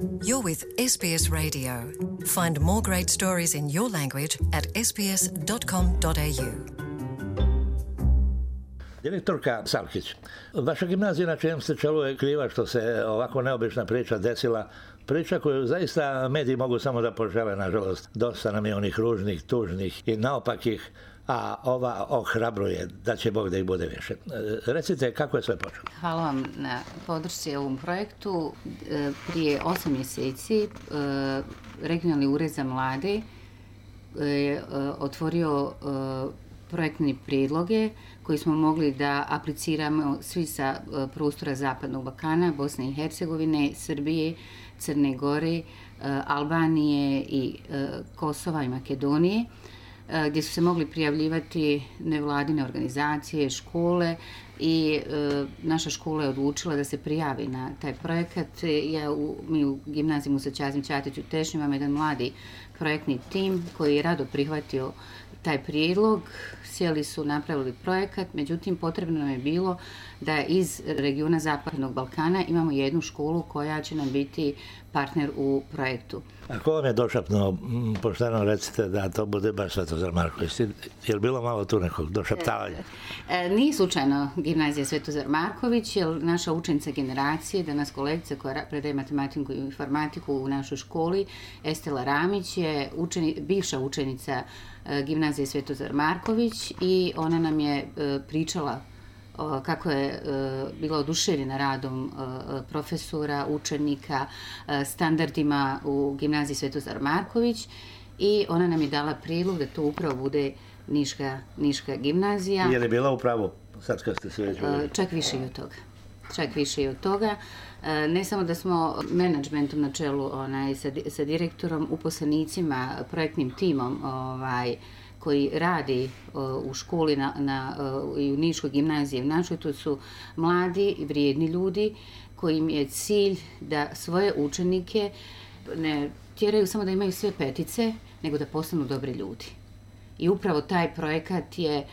You're with SBS Radio. Find more great stories in your language at sbs.com.au. Direktorka Salkić, vaša gimnazija na čijem ste čelu je kriva što se ovako neobična priča desila, priča koju zaista mediji mogu samo da požele, nažalost. Dosta nam je onih ružnih, tužnih i naopakih, a ova ohrabruje, da će Bog da ih bude više. Recite, kako je sve počelo? Hvala vam na podršci ovom projektu. Prije 8 mjeseci Regionalni ured za mlade je otvorio projektne prijedloge koji smo mogli da apliciramo svi sa prostora Zapadnog Balkana, Bosne i Hercegovine, Srbije, Crne Gore, Albanije i Kosova i Makedonije, gdje su se mogli prijavljivati nevladine organizacije, škole i naša škola je odlučila da se prijavi na taj projekat. Mi u gimnaziji Musa Kazim Ćatić u Tešnju imamo jedan mladi projektni tim koji je rado prihvatio taj prijedlog. Sjeli su, napravili projekat, međutim potrebno nam je bilo da iz regiona Zapadnog Balkana imamo jednu školu koja će nam biti partner u projektu. A ko vam je došapnuo, pošteno recite, da to bude baš Svetozar Marković? Je li bilo malo tu nekog došaptavanja? Nije slučajno gimnazija Svetozar Marković, jer naša učenica generacije, danas kolegica koja predaje matematiku i informatiku u našoj školi, Estela Ramić, je bivša učenica gimnazije Svetozar Marković i ona nam je pričala kako je bila oduševljena radom profesora, učenika, standardima u gimnaziji Svetozar Marković i ona nam je dala prijedlog da to upravo bude Niška gimnazija. Je li bila upravo sad kad ste se već uvijek? Čak više i od toga. Ne samo da smo menadžmentom na čelu sa direktorom, uposlenicima, projektnim timom koji radi u školi i u Niškoj gimnaziji. To su mladi i vrijedni ljudi kojim je cilj da svoje učenike ne tjeraju samo da imaju sve petice, nego da postanu dobri ljudi. I upravo taj projekat je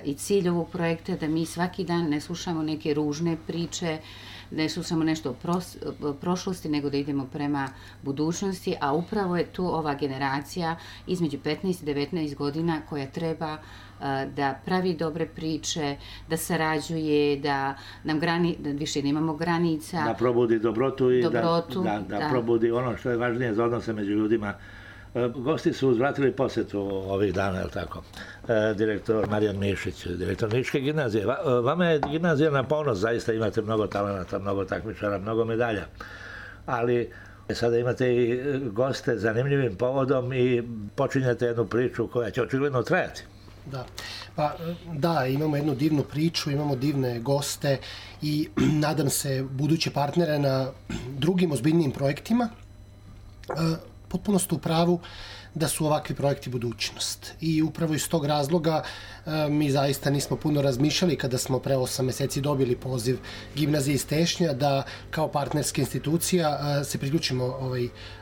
i cilj ovog projekta da mi svaki dan ne slušamo neke ružne priče, ne slušamo nešto o prošlosti, nego da idemo prema budućnosti, a upravo je tu ova generacija između 15 i 19 godina koja treba da pravi dobre priče, da sarađuje, da više nemamo granica. Da probudi dobrotu i da probudi ono što je važnije za odnose među ljudima. Gosti su uzvratili posjetu ovih dana, je li tako? Direktor Marijan Mišić, direktor Niške gimnazije. Vama je gimnazija na ponos, zaista imate mnogo talenata, mnogo takmičara, mnogo medalja. Ali sada imate i goste zanimljivim povodom i počinjete jednu priču koja će očigledno trajati. Da, imamo jednu divnu priču, imamo divne goste i nadam se buduće partnere na drugim ozbiljnijim projektima. Potpuno ste u pravu da su ovakvi projekti budućnost. I upravo iz tog razloga mi zaista nismo puno razmišljali kada smo pre 8 mjeseci dobili poziv gimnazije iz Tešnja da kao partnerska institucija se priključimo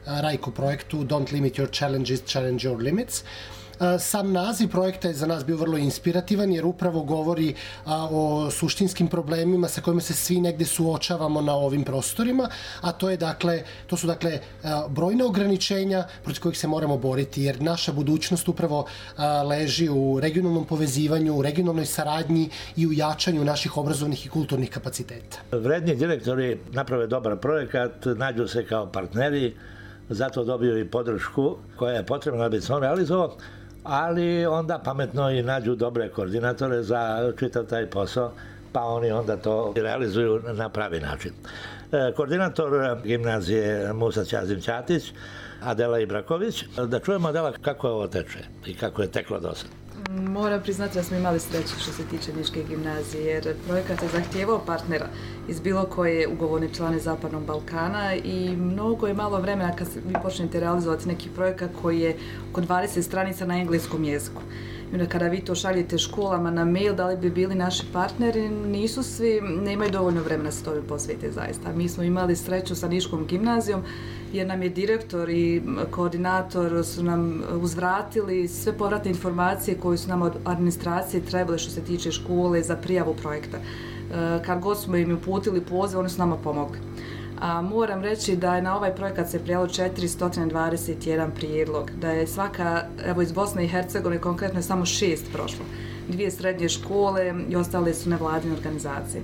RAICO projektu Don't Limit Your Challenges, Challenge Your Limits. Sam naziv projekta je za nas bio vrlo inspirativan jer upravo govori o suštinskim problemima sa kojima se svi negde suočavamo na ovim prostorima, a to su brojna ograničenja protiv kojih se moramo boriti jer naša budućnost upravo leži u regionalnom povezivanju, u regionalnoj saradnji i u jačanju naših obrazovnih i kulturnih kapaciteta. Vredni direktori naprave dobar projekat, nađu se kao partneri, zato dobiju i podršku koja je potrebna da bi se on realizovao, ali onda pametno i nađu dobre koordinatore za čitav taj posao, pa oni onda to realizuju na pravi način. Koordinator gimnazije Musa Kazim Ćatić, Adela Ibraković. Da čujemo, Adela, kako ovo teče i kako je teklo do sada. Moram priznati da smo imali sreće što se tiče Niške gimnazije, jer projekat je zahtijevao partnera iz bilo koje ugovorne člane Zapadnog Balkana i mnogo je malo vremena kad vi počnete realizovati neki projekat koji je oko 20 stranica na engleskom jeziku. I onda kada vi to šaljete školama na mail, da li bi bili naši partneri, nisu svi, nemaju dovoljno vremena se tome posvete zaista. Mi smo imali sreću sa Niškom gimnazijom jer nam je direktor i koordinator su nam uzvratili sve povratne informacije koje su nam od administracije trebale što se tiče škole za prijavu projekta. Kad god smo im uputili poziv, oni su nama pomogli. A moram reći da je na ovaj projekat se prijavilo 421 prijedlog, da je svaka, evo iz Bosne i Hercegovine konkretno je samo 6 prošlo, 2 srednje škole i ostale su nevladine organizacije.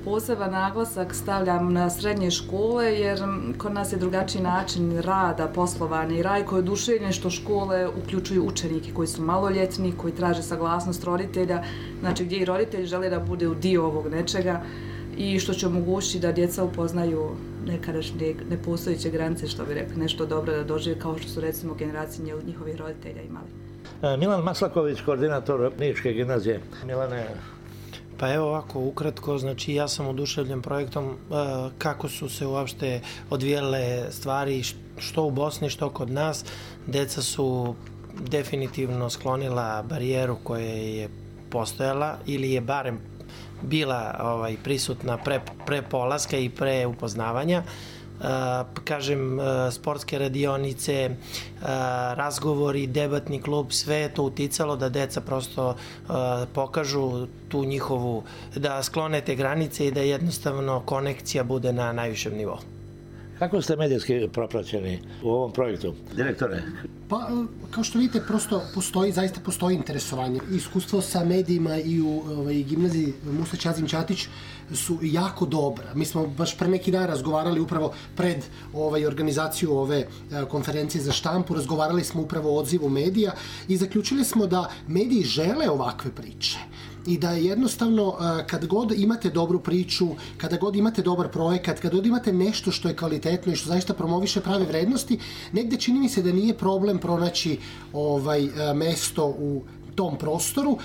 Poseban naglasak stavljam na srednje škole jer kod nas je drugačiji način rada, poslovanja i raj koji je oduševljen što škole uključuju učenike koji su maloljetni, koji traže saglasnost roditelja, znači gdje i roditelji žele da bude u dio ovog nečega i što će omogućiti da djeca upoznaju nekadašnje nepostojeće granice, što bi rekli, nešto dobro da dožive kao što su recimo generacije njihovih roditelja imali. Milan Maslaković, koordinator Niške gimnazije. Milane, pa evo ovako, ukratko, znači ja sam oduševljen projektom kako su se uopšte odvijele stvari što u Bosni, što kod nas. Deca su definitivno sklonila barijeru koja je postojala ili je barem bila prisutna pre polaska i pre upoznavanja. Kažem, sportske radionice, razgovori, debatni klub, sve je to uticalo da deca prosto pokažu tu njihovu, da sklone te granice i da jednostavno konekcija bude na najvišem nivou. Kako ste medijski propraćeni u ovom projektu, direktore? Pa, kao što vidite, prosto zaista postoji interesovanje. Iskustvo sa medijima i u gimnaziji Musa Ćazim Ćatić su jako dobra. Mi smo baš pre neki dan razgovarali upravo pred organizaciju ove konferencije za štampu, razgovarali smo upravo o odzivu medija i zaključili smo da mediji žele ovakve priče. I da jednostavno kad god imate dobru priču, kada god imate dobar projekat, kada god imate nešto što je kvalitetno i što zaista promoviše prave vrednosti, negde čini mi se da nije problem pronaći mesto u tom prostoru.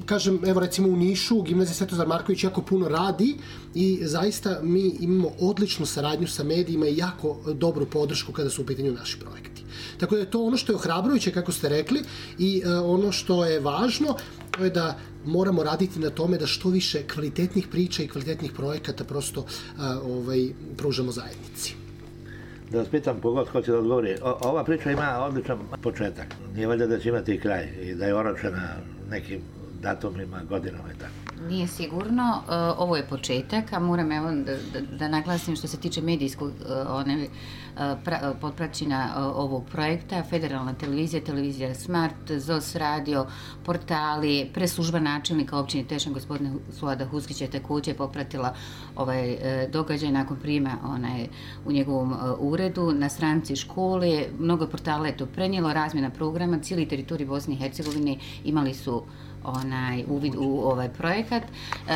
Kažem, evo recimo u Nišu, gimnazija Svetozar Marković jako puno radi i zaista mi imamo odličnu saradnju sa medijima i jako dobru podršku kada su u pitanju naši projekti. Tako da je to ono što je ohrabrujuće, kako ste rekli, i ono što je važno, to je da moramo raditi na tome da što više kvalitetnih priča i kvalitetnih projekata prosto pružamo zajednici. Da vas pitam, kogod hoće da odgovori, ova priča ima odličan početak. Nije valjda da će imati i kraj i da je oročena nekim datumima, godinama i tako. Nije sigurno, ovo je početak, a moram evo da naglasim što se tiče medijskog potpraćenja ovog projekta, Federalna televizija, televizija Smart, ZOS radio, portali, preslužba načelnika općine Tešanj, gospodina Suada Huskića je također popratila ovaj događaj nakon prijema u njegovom uredu, na stranici škole, mnogo portala je to prenijelo, razmjena programa, cijeli teritorij Bosne i Hercegovine imali su uvid u ovaj projekat.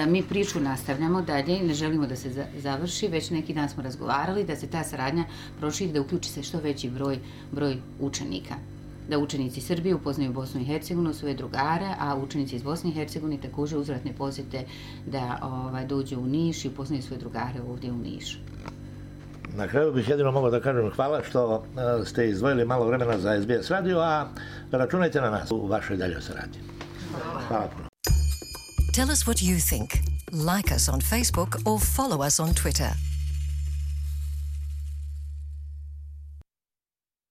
Mi priču nastavljamo dalje, ne želimo da se završi, već neki dan smo razgovarali da se ta saradnja proširi, da uključi se što veći broj učenika. Da učenici Srbije upoznaju Bosnu i Hercegovinu, svoje drugare, a učenici iz Bosne i Hercegovine također uzvratne posjete da dođu u Niš i upoznaju svoje drugare ovdje u Nišu. Na kraju bih jedino mogao da kažem hvala što ste izdvojili malo vremena za SBS radio, a računajte na nas u vašoj daljoj saradnji. Hvala puno. Tell us what you think. Like us on Facebook or follow us on Twitter.